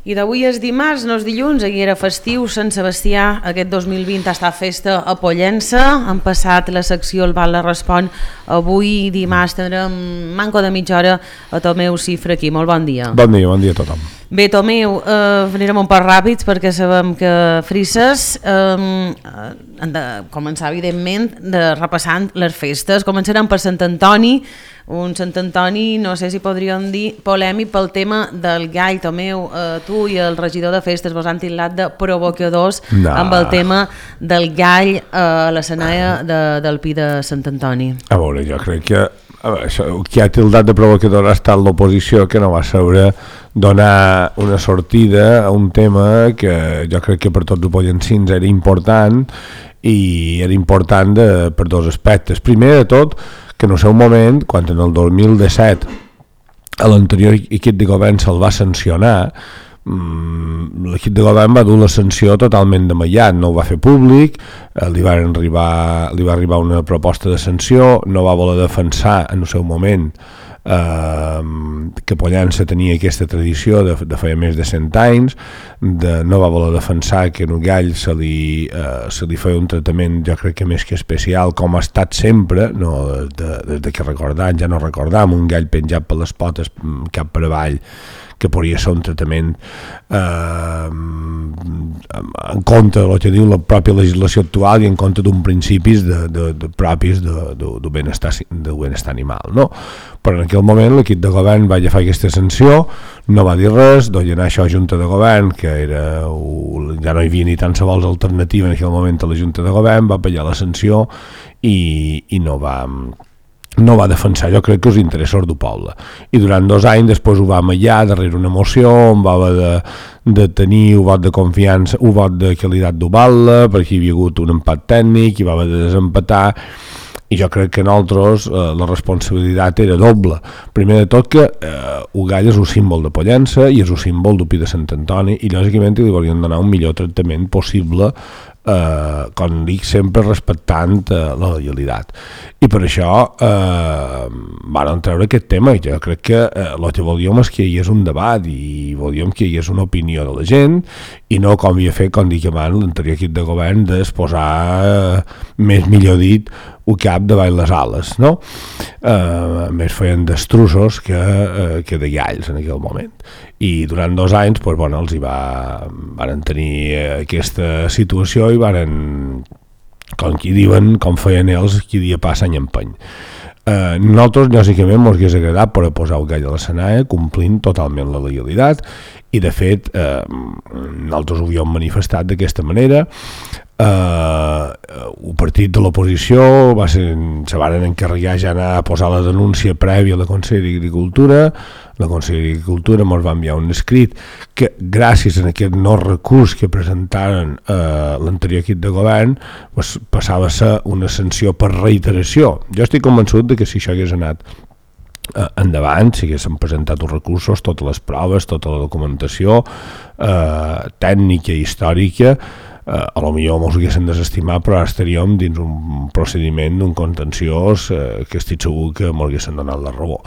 I d'avui és dimarts, no és dilluns, aquí era festiu, Sant Sebastià, aquest 2020 està festa a Pollença, han passat la secció El Val la Respon, avui dimarts tindrem manco de mitja hora a Tomeu Cifra aquí, molt bon dia. Bon dia a tothom. Bé, Tomeu, anirem un poc ràpids perquè sabem que Frisses han de començar, evidentment, repassant les festes. Començarem per Sant Antoni, un Sant Antoni, no sé si podríem dir, polèmic pel tema del gall. Tomeu, tu i el regidor de festes vos han titllat de provocadors amb el tema del gall a l'escenari del Pi de Sant Antoni. A veure, jo crec que qui ha tildat de provocador ha estat l'oposició, que no va saber donar una sortida a un tema que jo crec que per tots els pollencins era important, i era important per dos aspectes. Primer de tot, que en el seu moment, quan en el 2017 a l'anterior equip de govern se'l va sancionar, l'equip de govern va dur la sanció totalment damallat, no ho va fer públic, li va arribar una proposta de sanció, no va voler defensar en el seu moment que Pollença tenia aquesta tradició de feia més de 100 anys, no va voler defensar que en un gall se li feia un tractament, jo crec que més que especial, com ha estat sempre, no, des que recordam, ja no recordam, un gall penjat per les potes cap per avall, que podria ser un tractament en compte del que diu la pròpia legislació actual i en compte d'un principis propis del benestar animal, no? Però en aquell moment l'equip de govern va agafar aquesta sanció, no va dir res, donar això a Junta de Govern, que ja no hi havia ni tan sols alternativa en aquell moment a la Junta de Govern, va pagar la sanció i no va defensar, jo crec que els interessos del poble. I durant 2 anys després ho va amallar darrere una moció on va haver de tenir un vot de confiança, un vot de qualitat d'Ubalda, perquè hi havia hagut un empat tècnic i va haver de desempatar, i jo crec que nosaltres la responsabilitat era doble. Primer de tot que Ugall és un símbol de Pollença i és un símbol del Pi de Sant Antoni, i lògicament li volien donar un millor tractament possible, com dic, sempre respectant la legalitat. I per això van treure aquest tema, i jo crec que el que volíem és que hi hagués un debat i volíem que hi hagués una opinió de la gent, i no com havia fet, com dic abans, l'anterior equip de govern d'exposar, millor dit, un cap davall les ales, no? Més feien destrussos que de galls en aquell moment. I durant 2 anys els hi van tenir aquesta situació i van, com qui diuen, com feien ells, qui dia passa any empeny. Nosaltres, lògicament, ens hauria agradat per posar el gall a l'escenari complint totalment la legalitat, i de fet nosaltres ho havíem manifestat d'aquesta manera. El partit de l'oposició se van encarregar ja anar a posar la denúncia prèvia a la Conselleria d'Agricultura. La Conselleria d'Agricultura ens va enviar un escrit que, gràcies a aquest no recurs que presentaren l'anterior equip de govern, passava a ser una sanció per reiteració. Jo estic convençut que si això hagués anat endavant, si haguessin presentat els recursos, totes les proves, tota la documentació tècnica i històrica, a lo millor ens ho haguessin desestimat, però ara estaríem dins un procediment d'un contenciós que estic segur que ens haguessin donat la raó.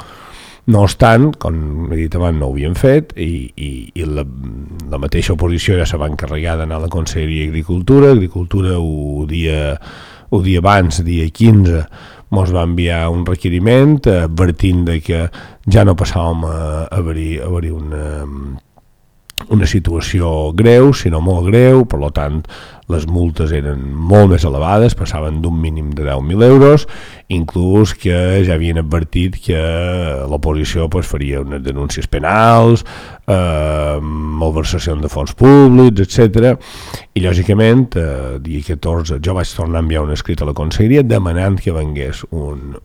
No obstant, com he dit abans, no ho havien fet, i la mateixa oposició ja se va encarregar d'anar a la Conselleria d'Agricultura. Agricultura un dia abans, dia 15, ens va enviar un requeriment advertint que ja no passàvem a haver-hi una situació greu, sinó molt greu. Per tant, les multes eren molt més elevades, passaven d'un mínim de 10.000 euros, inclús que ja havien advertit que l'oposició faria unes denúncies penals, malversació de fons públics, etc. I lògicament, dia 14, jo vaig tornar a enviar un escrit a la Conselleria demanant que vengués un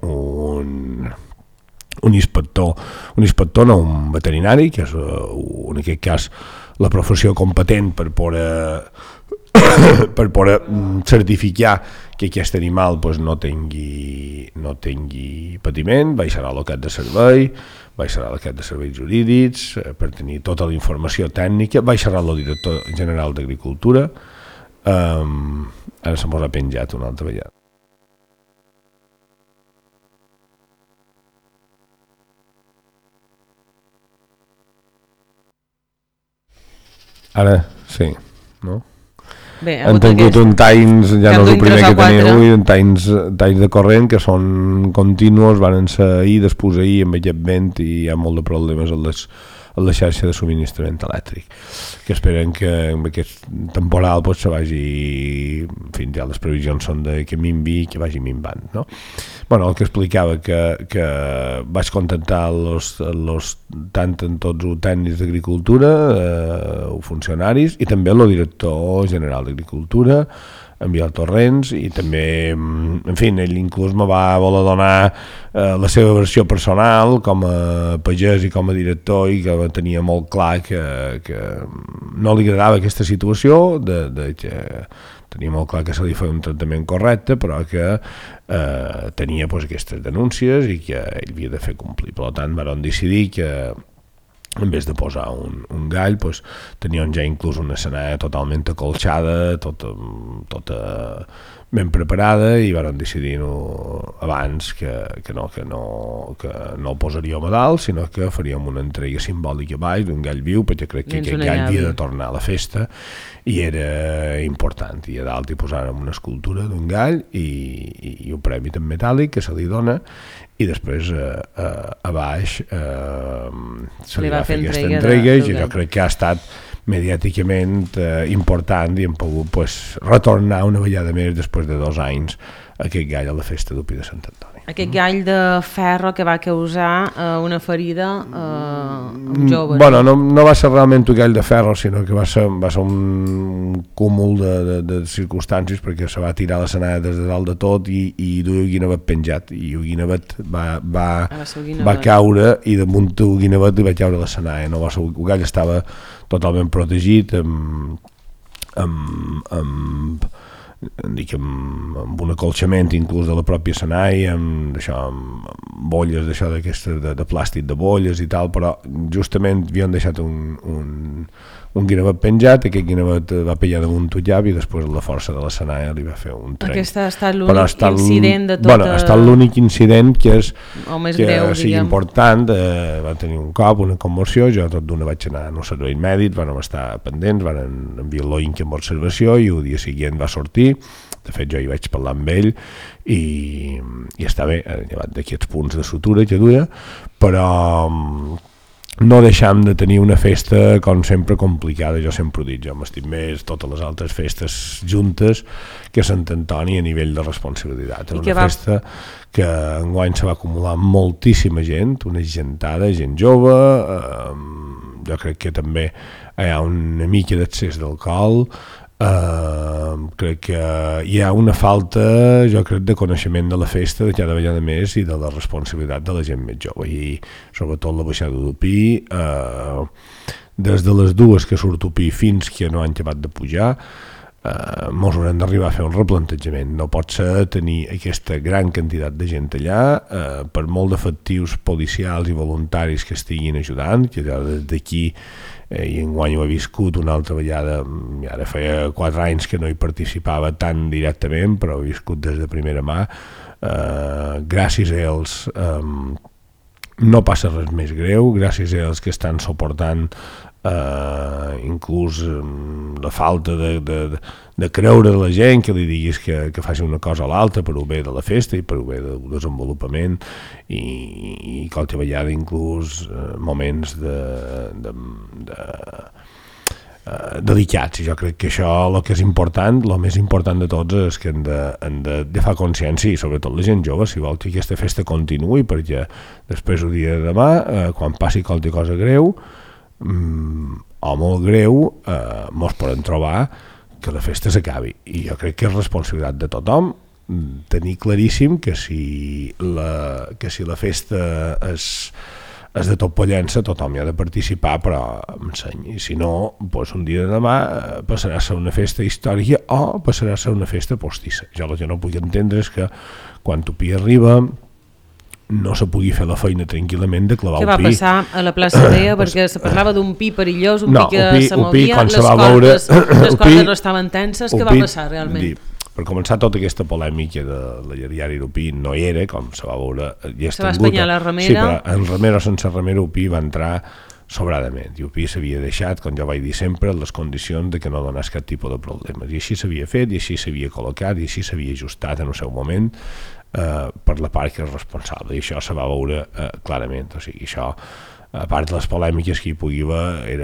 inspector, no un veterinari, que és en aquest cas la professió competent per poder certificar que aquest animal no tingui patiment. Baixarà a l'equip de servei, baixarà a l'equip de serveis jurídics per tenir tota la informació tècnica, baixarà el director general d'Agricultura. Ara se m'ho ha penjat una altra vegada. Ara, sí, no? Bé, han tingut un talls, ja no és el primer que teniu avui, talls de corrent que són continus, van ser ahir, després ahir amb aquest vent i hi ha molt de problemes a la xarxa de subministrament elèctric, que esperen que amb aquest temporal pues, se vagi, en fi, ja les previsions són de que minvi i que vagi minvant, no? Bueno, el que explicava que vaig contactar tant en tots els tècnics d'agricultura, funcionaris, i també el director general d'agricultura, en Biel Torrents, i també, en fi, ell inclús me va voler donar la seva versió personal com a pagès i com a director, i que tenia molt clar que no li agradava aquesta situació, que tenia molt clar que se li feia un tractament correcte, però que tenia pues, aquestes denúncies i que ell havia de fer complir. Per tant, van decidir que en vez de posar un gall, pues, tenien ja inclús una escenària totalment acolxada, tota ben preparada, i van decidir abans que no el posaríem a dalt, sinó que faríem una entrega simbòlica a baix d'un gall viu, perquè crec que aquest gall havia de tornar a la festa i era important, i a dalt hi posàrem una escultura d'un gall i un premi en metàl·lic que se li dona, i després a baix se li va fer aquesta entrega, i jo crec que ha estat mediàticament important, i hem pogut pues, retornar una vegada més després de 2 anys aquest gall a la festa d'Upi de Sant Antoni. Aquest gall de ferro que va causar una ferida jove. Bueno, no va ser realment un gall de ferro, sinó que va ser un cúmul de circumstàncies, perquè se va tirar la senada des de dalt de tot i duia el guinevet penjat, i el guinevet va caure, i damunt el guinevet li va caure la senada. No va ser, el gall estava totalment protegit amb un acolxament inclús de la pròpia senai, amb bolles d'aquestes de plàstic de bolles i tal, però justament havien deixat un guinevet penjat, aquest guinevet va pillar damunt un llab i després la força de la senai li va fer un trenc. Aquest ha estat l'únic incident de tota... Bueno, ha estat l'únic incident que greu, sigui important. Va tenir un cop, una commoció, jo tot d'una vaig anar a un servei mèdic, vam estar pendents, van enviar l'oinc amb observació, i el dia següent va sortir. De fet, jo hi vaig parlar amb ell i està bé, llevat d'aquests punts de sutura que duia, però no deixam de tenir una festa, com sempre, complicada. Jo sempre ho dic, jo m'estim més totes les altres festes juntes que Sant Antoni a nivell de responsabilitat. Una festa que enguany se va acumular moltíssima gent, una gentada, gent jove, jo crec que també hi ha una mica d'excés d'alcohol, crec que hi ha una falta, jo crec, de coneixement de la festa de cada vegada més i de la responsabilitat de la gent més jove, i sobretot la baixada d'Upí, des de les 2 que surt Upí fins que no han acabat de pujar, mos haurem d'arribar a fer un replantejament. No pot ser tenir aquesta gran quantitat de gent allà, per molt d'efectius policials i voluntaris que estiguin ajudant, que des d'aquí i enguany ho he viscut una altra vegada, ara feia 4 anys que no hi participava tan directament, però he viscut des de primera mà. Gràcies a ells no passa res més greu, gràcies a ells que estan suportant inclús la falta de creure la gent, que li diguis que faci una cosa o l'altra per ho bé de la festa i per ho bé del desenvolupament, i qualque vegada inclús moments delicats. I jo crec que això, el que és important, el més important de tots, és que hem de fer consciència, i sobretot la gent jove, si vol que aquesta festa continuï, perquè després el dia de demà, quan passi qualque cosa greu o molt greu, mos podem trobar que la festa s'acabi. I jo crec que és responsabilitat de tothom tenir claríssim que si la festa és de tot Pollença, tothom hi ha de participar, però amb seny. I si no, doncs un dia de demà passarà a ser una festa històrica o passarà a ser una festa postissa. Jo el que no puc entendre és que quan Upí arriba no se pugui fer la feina tranquil·lament de clavar un pi. Què va passar a la plaça Dea? Perquè se parlava d'un pi perillós, un pi que se movia, les cordes no estaven tenses. Què va passar realment? Per començar, tota aquesta polèmica de la llargària d'Upí no hi era, com se va veure. Se va espanyar la remera. Sí, però en remera o sense remera Upí va entrar sobradament, i UPI s'havia deixat, com jo vaig dir sempre, les condicions de que no donés cap tipus de problemes, i així s'havia fet, i així s'havia col·locat, i així s'havia ajustat en el seu moment per la part que és responsable, i això se va veure clarament. O sigui, això, a part de les polèmiques que hi pugui haver,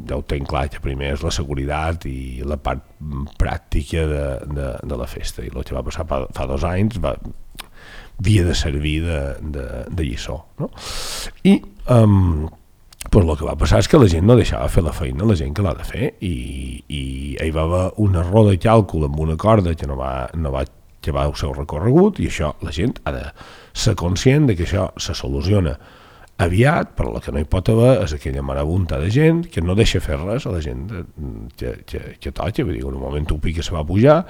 ja ho tenc clar, que primer és la seguretat i la part pràctica de la festa, i el que va passar fa 2 anys havia de servir de lliçó, no? I pues el que va passar és que la gent no deixava fer la feina, la gent que l'ha de fer, i hi va haver un error de càlcul amb una corda que no va llevar el seu recorregut, i això la gent ha de ser conscient de que això se soluciona aviat, però el que no hi pot haver és aquella marabunta de gent que no deixa fer res a la gent que toca. Vull dir, en un moment UPI que se va pujar,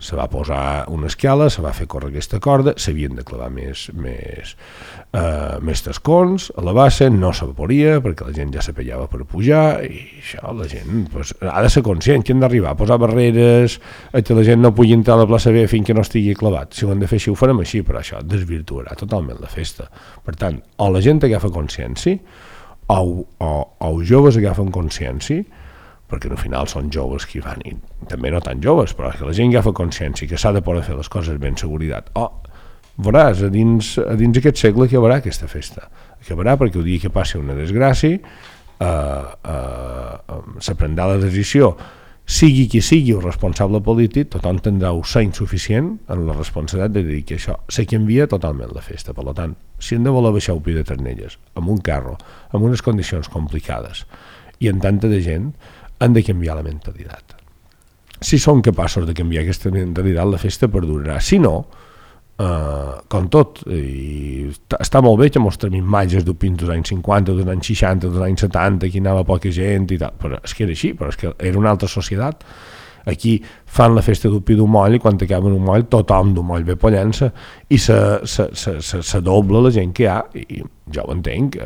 se va posar una escala, se va fer córrer aquesta corda, s'havien de clavar més tascons a la base, no s'evaporia perquè la gent ja s'apellava per pujar, i això la gent pues, ha de ser conscient que hem d'arribar a posar barreres, que la gent no pugui entrar a la plaça B fins que no estigui clavat. Si ho hem de fer així, ho farem així, però això desvirtuarà totalment la festa. Per tant, o la gent agafa consciència, o els joves agafen consciència, perquè al final són joves que hi van, i també no tan joves, però que la gent agafa consciència que s'ha de poder fer les coses ben seguretat. Veuràs, a dins aquest segle acabarà aquesta festa. Acabarà perquè el dia que passi una desgràcia se prendrà la decisió, sigui qui sigui el responsable polític, tothom tindrà un seny suficient en la responsabilitat de dir que això se canvia totalment la festa. Per tant, si hem de voler baixar UPI de Ternelles amb un carro, amb unes condicions complicades i amb tanta de gent, han de canviar la mentalitat. Si són capaços de canviar aquesta mentalitat, la festa perdurarà. Si no, com tot, i està molt bé que mostrem imatges d'UPIs dels anys 50, dels anys 60, dels anys 70, aquí anava poca gent i tal, però és que era així, però és que era una altra societat. Aquí fan la festa d'UPI d'un moll i quan acaben un moll tothom d'un moll ve pollant-se i se dobla la gent que hi ha, i jo ho entenc,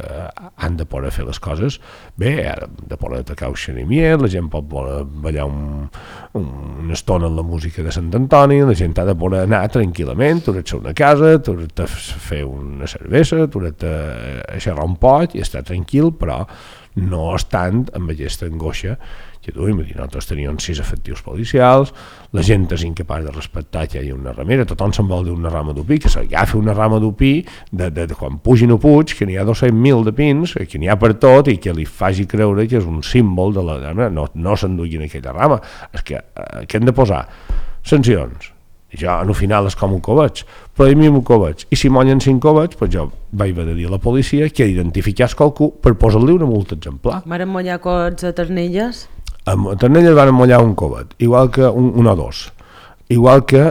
han de poder fer les coses bé, han de poder tocar el xerimier, la gent pot voler ballar una estona amb la música de Sant Antoni, la gent ha de poder anar tranquil·lament, t'hauràs una casa, t'hauràs fer una cervesa, t'hauràs xerrar un poc i estar tranquil, però no estant amb aquesta angoixa que tu, nosaltres teníem 6 efectius policials, la gent és incapaç de respectar que hi ha una ramera, tothom se'n vol dir una rama d'upí, que s'agafi una rama d'upí de quan pugin a Puig, que n'hi ha 200.000 de pins, que n'hi ha per tot, i que li faci creure que és un símbol de la rama, no s'enduguin aquella rama. És que hem de posar sancions. I jo, al final, és com un coveig, prohibim un coveig, i si mollen 5 coveig, doncs jo vaig haver de dir a la policia que identifiqués qualcú per posar-li una multa exemplar. Varen mollar coveig a Ternelles? A Ternelles van mollar un covet, igual que un o dos, igual que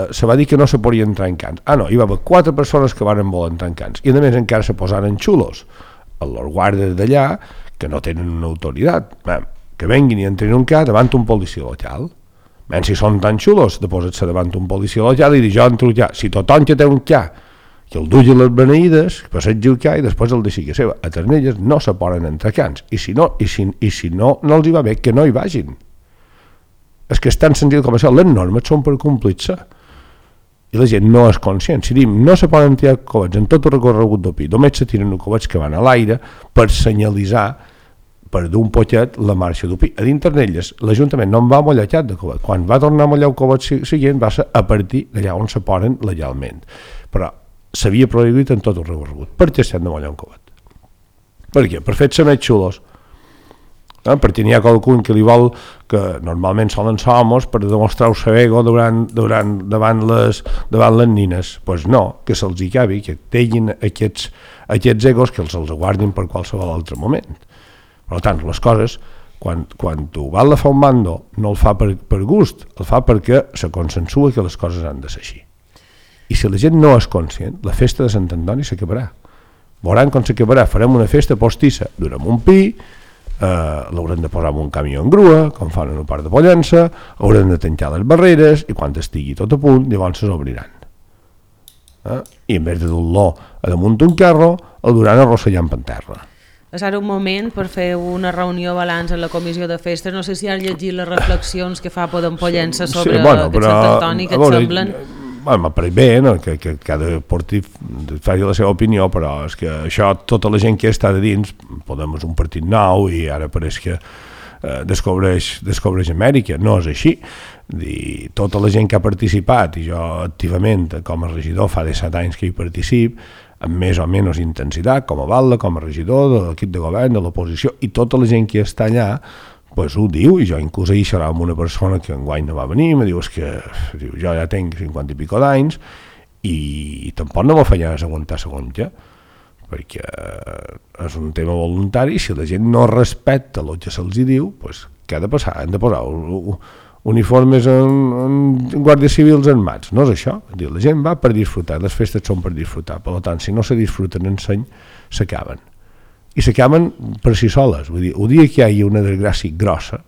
se va dir que no se podien entrar en cants. No, hi va haver 4 persones que van voler entrar en cants, i a més encara se posaren xulos a els guàrdies d'allà que no tenen una autoritat, que venguin i entrin en un cas davant un policia local. Si són tan xulos, de posar-se davant un policia local i dir jo entro ja, si tothom que té un ca que el duia les beneïdes, passegi el ca i després el deixi que seva. A Ternelles no se poden entrar cants, i si no els hi va bé, que no hi vagin. És que és tan senzill com això, les normes són per complir-se i la gent no és conscient. Si diem no se poden tirar covets en tot el recorregut d'UPI, només se tiren covets que van a l'aire per senyalitzar per d'un poquet la marxa d'UPI. A dins Ternelles l'Ajuntament no en va mollar cap de covet. Quan va tornar a mollar el covet següent va ser a partir d'allà on se poden legalment. Però s'havia prohibit en tot el recorregut. Per què s'han de mollar un covet? Per què? Per fer-se més xulos. Perquè n'hi ha qualcun que li vol, que normalment solen ser homes, per demostrar el seu ego davant les nines. Doncs no, que se'ls hi cabi, que tinguin aquests egos, que els guardin per qualsevol altre moment. Per tant, les coses, quan tu vas a fer un mando, no el fa per gust, el fa perquè se consensua que les coses han de ser així. I si la gent no és conscient, la festa de Sant Antoni s'acabarà. Veuran com s'acabarà. Farem una festa postissa, durant un pi, l'haurem de posar en un camió en grua, com fan en un parc de Pollença, haurem de tancar les barreres, i quan estigui tot a punt, llavors s'obriran. I en vez de dur-lo a damunt d'un carro, el duran arrossellant per terra. És ara un moment per fer una reunió balanç en la comissió de festes. No sé si has llegit les reflexions que fa Podem Pollença sobre aquest Sant Antoni, que et semblen? m'ha pareix bé, no? que cada partit faci la seva opinió, però és que això, tota la gent que està de dins, Podem és un partit nou i ara pareix que descobreix Amèrica. No és així. Tota la gent que ha participat, i jo activament com a regidor fa 17 anys que hi participo, amb més o menys intensitat, com a batlle, com a regidor de l'equip de govern, de l'oposició, i tota la gent que està allà pues ho diu, i jo inclús ahir xerrava amb una persona que enguany no va venir, me diu, jo ja tinc 50 i pico d'anys i tampoc no me feia aguantar segons què, perquè és un tema voluntari, i si la gent no respecta el que se'ls diu, pues, què ha de passar? Han de posar uniformes en guàrdies civils armats, no és això? La gent va per disfrutar, les festes són per disfrutar, per tant, si no se disfruten en seny, s'acaben. I s'acaben per si soles. Vull dir, el dia que hi hagi una desgràcia grossa,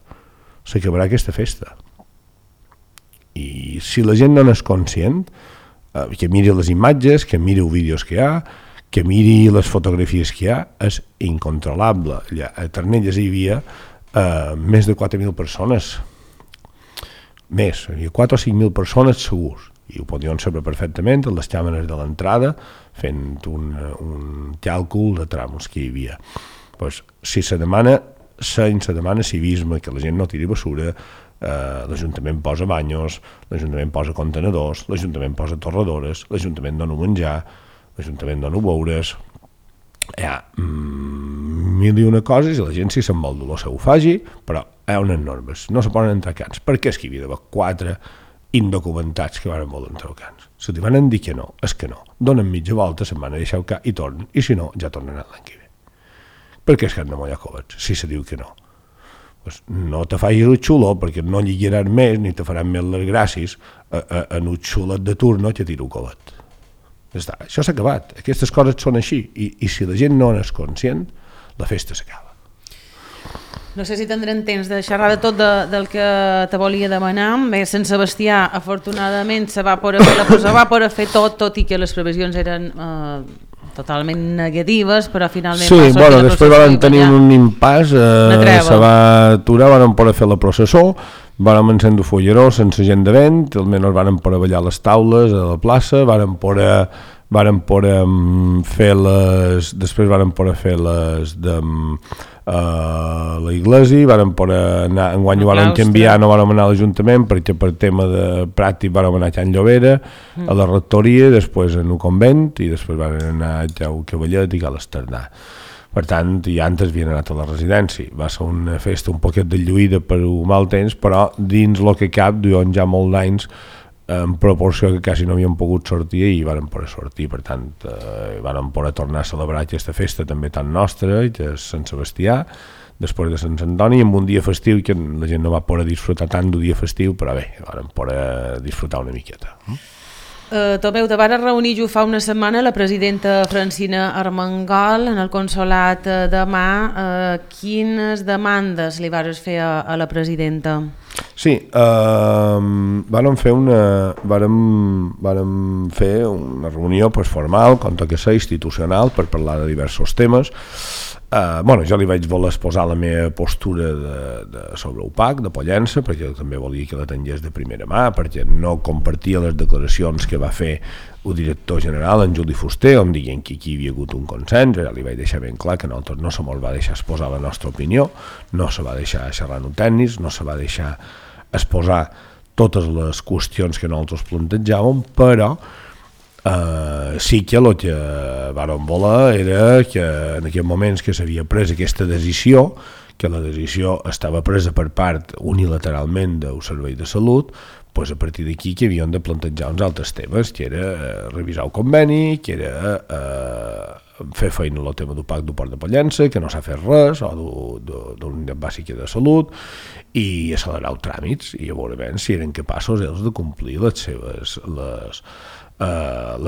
s'acabarà aquesta festa. I si la gent no n'és conscient, que miri les imatges, que miri els vídeos que hi ha, que miri les fotografies que hi ha, és incontrolable. Allà, a Ternelles hi havia més de 4.000 persones. Més, hi havia 4 o 5.000 persones segurs. I ho podien saber perfectament en les càmeres de l'entrada, fent un càlcul de trams que hi havia. Pues, si se demana civisme, que la gent no tiri basura, l'Ajuntament posa banyos, l'Ajuntament posa contenedors, l'Ajuntament posa torradores, l'Ajuntament dona menjar, l'Ajuntament dona beures. Hi ha mil i una coses i la gent, si se'n vol dolor, se ho faci, però hi ha unes normes, no se poden entrar cans. Per què és que hi havia d'haver 4 indocumentats que van voler entrar cans? Si li van dir que no, és que no. Donen mitja volta, se'n van a deixar el cap i tornen, i si no, ja tornen l'any que ve. Per què és que han de mollar covets, si se diu que no? Pues no te facis el xulo, perquè no lligaran més, ni te faran més les gràcies en un xulet de turno que tira un covet. Això s'ha acabat, aquestes coses són així, i si la gent no n'és conscient, la festa s'acaba. No sé si tindrem temps de xerrar de tot del que te volia demanar. Bé, Sant Sebastià, afortunadament, se va poder fer tot i que les previsions eren totalment negatives, però finalment va sortir la processó. Després van tenir un impàs, se va aturar, van poder fer la processó, van encendre fulleró sense gent de vent, almenys van poder ballar les taules a la plaça, van poder fer les... Després van poder fer les de la iglesia, van poder anar, enguany ho van canviar, no van anar a l'Ajuntament perquè per tema de pràctic van anar a Can Llobera, a la rectoria, després en un convent i després van anar a Can Cavallet i a l'Esternà. Per tant, ja antes havien anat a la residència. Va ser una festa un poquet de lluïda per un mal temps, però dins el que cap, duien ja molts d'anys en proporció que quasi no havien pogut sortir i van poder sortir, per tant van poder tornar a celebrar aquesta festa també tan nostra, que és Sant Sebastià, després de Sant Antoni, amb un dia festiu que la gent no va poder disfrutar tant d'un dia festiu, però bé, van poder disfrutar una miqueta. Tomeu, te vas reunir jo fa una setmana la presidenta Francina Armengol en el Consolat de Mar. Quines demandes li vas fer a la presidenta? Sí, vàrem fer una reunió formal, com que ser institucional, per parlar de diversos temes. Jo li vaig voler exposar la meva postura sobre el PAC de Pollença, perquè també volia que la tingués de primera mà, perquè no compartia les declaracions que va fer el director general, en Juli Fuster, on deien que aquí hi havia hagut un consens. Ja li vaig deixar ben clar que nosaltres no se mos va deixar exposar la nostra opinió, no se va deixar xerrar en tècnics, no se va deixar exposar totes les qüestions que nosaltres plantejàvem, però sí que el que vàrem voler era que en aquells moments que s'havia pres aquesta decisió, que la decisió estava presa per part unilateralment del Servei de Salut, doncs a partir d'aquí que havíem de plantejar uns altres temes, que era revisar el conveni, que era fer feina en el tema del PAC del Port de Pollença, que no s'ha fet res, o de la unitat bàsica de salut, i accelerar els tràmits, i a veure si eren capaços ells de complir les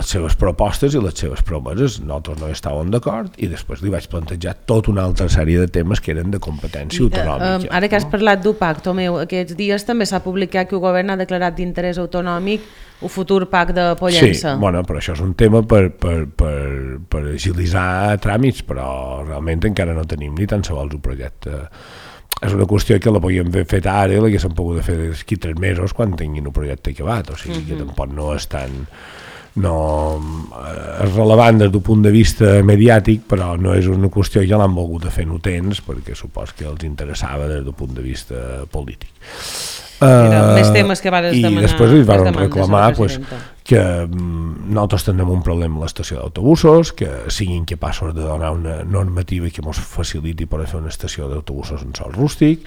seves propostes i les seves promeses. Nosaltres no hi estàvem d'acord i després li vaig plantejar tota una altra sèrie de temes que eren de competència autonòmica. Ara que has parlat d'UPAC, Tomeu, aquests dies també s'ha publicat que el govern ha declarat d'interès autonòmic el futur PAC de Pollença. Sí, però això és un tema per agilitzar tràmits, però realment encara no tenim ni tan sols un projecte. és una qüestió que la podíem haver fet ara i l'haguéssim pogut fer d'aquí 3 mesos quan tinguin un projecte acabat, o sigui que tampoc no és tan... és relevant des d'un punt de vista mediàtic, però no és una qüestió que l'han volgut fer no temps perquè supos que els interessava des d'un punt de vista polític. Més temes que vares demanar. I després li van reclamar que nosaltres tenim un problema a l'estació d'autobusos, que siguin capaços de donar una normativa que ens faciliti per fer una estació d'autobusos en sòl rústic.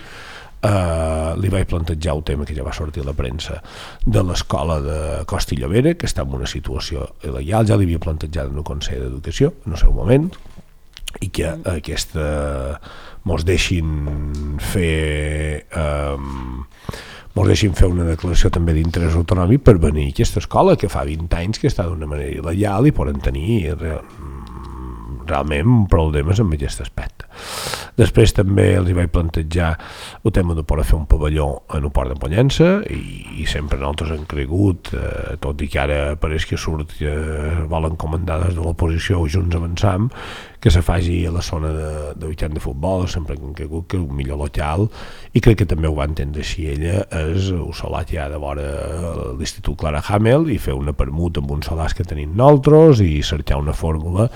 Li vaig plantejar el tema que ja va sortir a la premsa de l'escola de Costa i Llobera, que està en una situació il·legal, ja l'havia plantejat en el Consell d'Educació en el seu moment, i que aquesta mos deixin fer una declaració també d'interès autonòmic per venir a aquesta escola que fa 20 anys que està d'una manera il·legal i poden tenir realment problemes amb aquest aspecte. Després també els vaig plantejar el tema de poder fer un pavelló en el port de Pollença i sempre nosaltres hem cregut, tot i que ara pareix que surt que volen comandar des de l'oposició o Junts Avançam, que se faci a la zona de weekend de futbol, sempre que hem cregut que un millor local, i crec que també ho va entendre així ella, és el solar que hi ha de vora l'Institut Clara Hamel i fer una permuta amb uns solars que tenim nosaltres i cercar una fórmula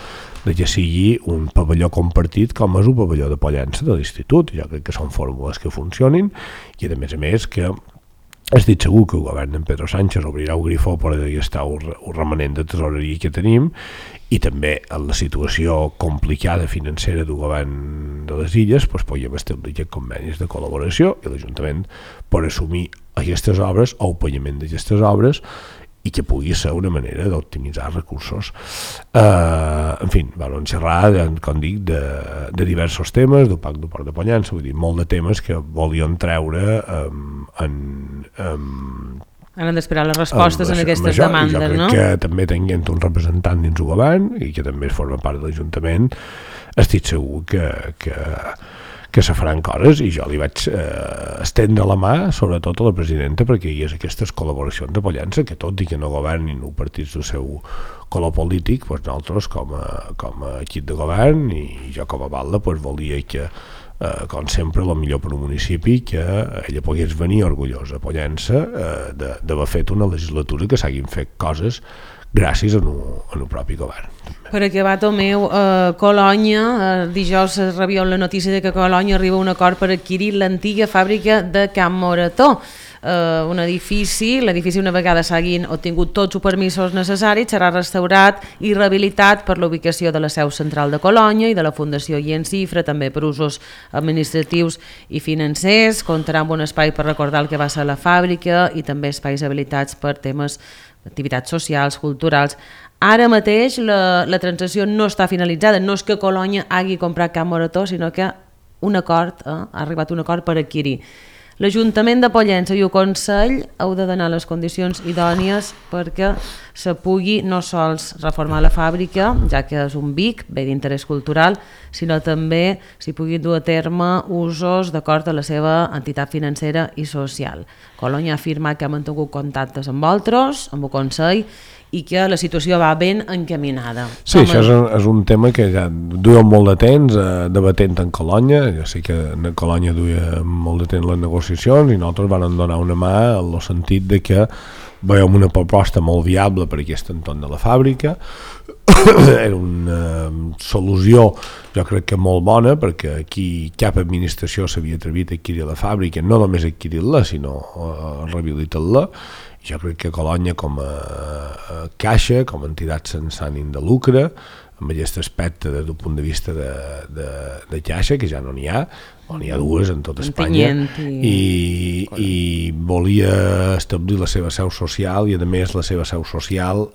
de que sigui un pavelló compartit com és un pavelló de Pollença de l'Institut. Jo crec que són fórmules que funcionin i a més que estic segur que el govern d'en Pedro Sánchez obrirà el grifó per gastar el remanent de tesoreria que tenim i també en la situació complicada financera del govern de les Illes podem establir aquests convenis de col·laboració i l'Ajuntament per assumir aquestes obres o el pagament d'aquestes obres i que pugui ser una manera d'optimitzar recursos. En fi, vam xerrar, com dic, de diversos temes, del Pacte del Port de Pollença, vull dir, molt de temes que volíem treure han d'esperar les respostes en aquestes demandes, no? Jo crec que també tenint un representant dins el govern i que també forma part de l'Ajuntament, estic segur que se faran coses i jo li vaig estendre la mà sobretot a la presidenta perquè hi hagués aquestes col·laboracions de Pollença que tot i que no governin els partits del seu color polític, nosaltres com a equip de govern i jo com a batlle volia que com sempre el millor per un municipi que ella pogués venir orgullosa a Pollença d'haver fet una legislatura que s'hagin fet coses gràcies al propi govern. Per acabar, Tomeu, Colònia, dijous es rebia la notícia de que Colònia arriba a un acord per adquirir l'antiga fàbrica de Can Morató. Un edifici, l'edifici una vegada s'hagin obtingut tots els permisos necessaris serà restaurat i rehabilitat per la ubicació de la seu central de Colònia i de la Fundació Cifra, també per usos administratius i financers, comptarà amb un espai per recordar el que va ser la fàbrica i també espais habilitats per temes d'activitats socials, culturals. Ara mateix la transacció no està finalitzada, no és que Colònia hagi comprat Can Morató, sinó que ha arribat un acord per adquirir. L'Ajuntament de Pollença i el Consell heu de donar les condicions idònies perquè se pugui no sols reformar la fàbrica, ja que és un BIC, bé d'interès cultural, sinó també s'hi pugui dur a terme usos d'acord a la seva entitat financera i social. Colònia ha afirmat que ha mantingut contactes amb vosaltres, amb el Consell, i que la situació va ben encaminada. Sí, això és un tema que ja duia molt de temps debatent en Colònia, jo sé que en Colònia duia molt de temps les negociacions i nosaltres vam donar una mà en el sentit de que veiem una proposta molt viable per aquest entorn de la fàbrica, era una solució jo crec que molt bona perquè aquí cap administració s'havia atrevit a adquirir la fàbrica, no només adquirir-la sinó rehabilitar-la. Jo crec que Colònia com a caixa, com a entitat sense ànim de lucre, amb aquest aspecte des d'un punt de vista de caixa, que ja no n'hi ha, o n'hi ha dues en tot Espanya, i volia establir la seva seu social i a més la seva seu social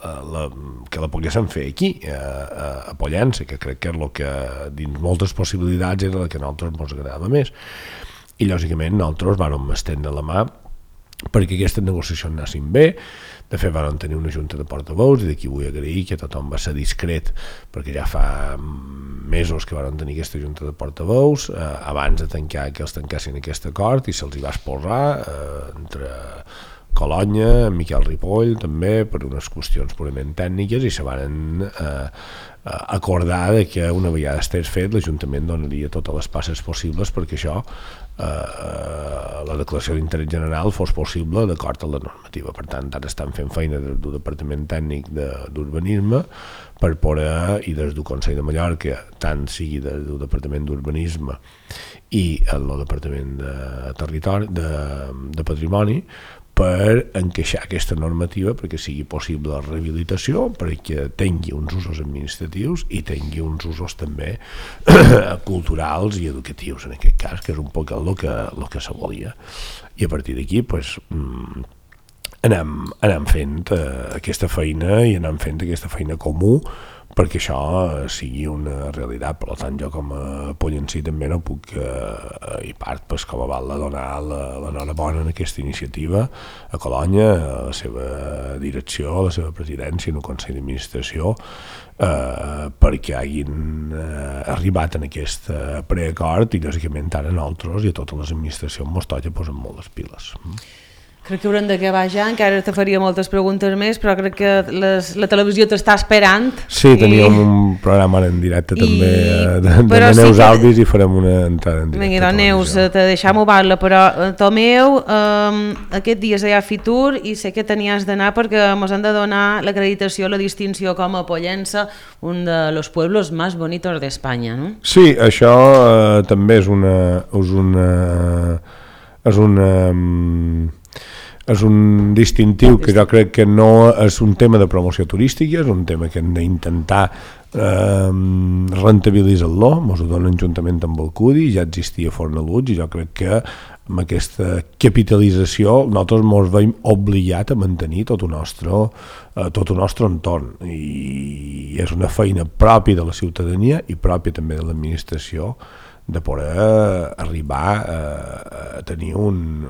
que la poguessin fer aquí, a Pollença, que crec que és el que dins moltes possibilitats era el que a nosaltres ens agradava més. I lògicament nosaltres vam estendre la mà perquè aquestes negociacions anessin bé. De fet vam tenir una junta de portaveus i d'aquí vull agrair que tothom va ser discret perquè ja fa mesos que vam tenir aquesta junta de portaveus abans de tancar que els tancassin aquest acord i se'ls hi va exposar entre Colònia, en Miquel Ripoll també, per unes qüestions purament tècniques, i se van acordar que una vegada estés fet l'Ajuntament donaria totes les passes possibles perquè això, la declaració d'interès general, fos possible d'acord amb la normativa. Per tant, ara estan fent feina des del Departament Tècnic d'Urbanisme per poder, i des del Consell de Mallorca, tant sigui des del Departament d'Urbanisme i el Departament de Territori, de Patrimoni, per encaixar aquesta normativa perquè sigui possible la rehabilitació, perquè tingui uns usos administratius i tingui uns usos també culturals i educatius, en aquest cas, que és un poc el que se volia. I a partir d'aquí pues, anem fent aquesta feina i anem fent aquesta feina comú perquè això sigui una realitat. Per tant, jo com a pollencí també no puc, i part pues, com a val donar l'enhorabona en aquesta iniciativa a Colònia, a la seva direcció, a la seva presidència, en el Consell d'Administració, perquè hagin arribat en aquest preacord i lògicament ara nosaltres i a totes les administracions mos toca posar molt les piles. Crec que haurem d'acabar ja, encara te faria moltes preguntes més, però crec que la televisió t'està esperant. Sí, teníem un programa en directe també de Neus Alvis i farem una entrada en directe. Vinga, Neus, te deixam ovar-la, però Tomeu, aquest dia hi ha Fitur i sé que tenies d'anar perquè ens han de donar l'acreditació, la distinció com a Pollença, un dels pueblos més bonitos d'Espanya, no? Sí, això també és un distintiu que jo crec que no és un tema de promoció turística, és un tema que hem d'intentar rentabilitzar-lo. Ens ho donen juntament amb el CUDI, ja existia Fornalutx, i jo crec que amb aquesta capitalització nosaltres ens veiem obligats a mantenir tot el nostre entorn, i és una feina pròpia de la ciutadania i pròpia també de l'administració de poder arribar a tenir un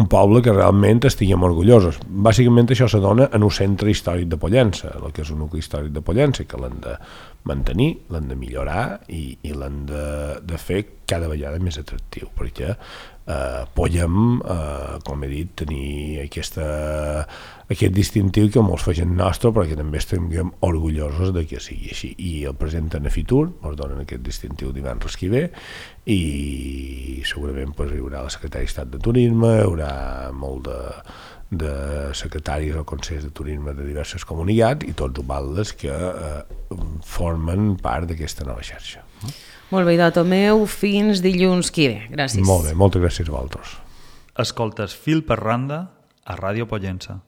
poble que realment estiguem orgullosos. Bàsicament això se dona en un centre històric de Pollença, el que és un nucli històric de Pollença, que l'han de mantenir, l'han de millorar i l'han de fer cada vegada més atractiu, perquè podem, com he dit, tenir aquest distintiu que molts facin nostre, perquè també estem orgullosos de que sigui així. I el presenten a Fitur, ens donen aquest distintiu divendres que ve, i segurament hi haurà la secretària d'Estat de Turisme, hi haurà molt de secretaris o consells de turisme de diverses comunitats i tots els baldes que formen part d'aquesta nova xarxa. Molt bé, Tomeu, fins dilluns que ve. Gràcies. Molt bé, moltes gràcies a vosaltres. Escoltes Fil per Randa a Ràdio Pollença.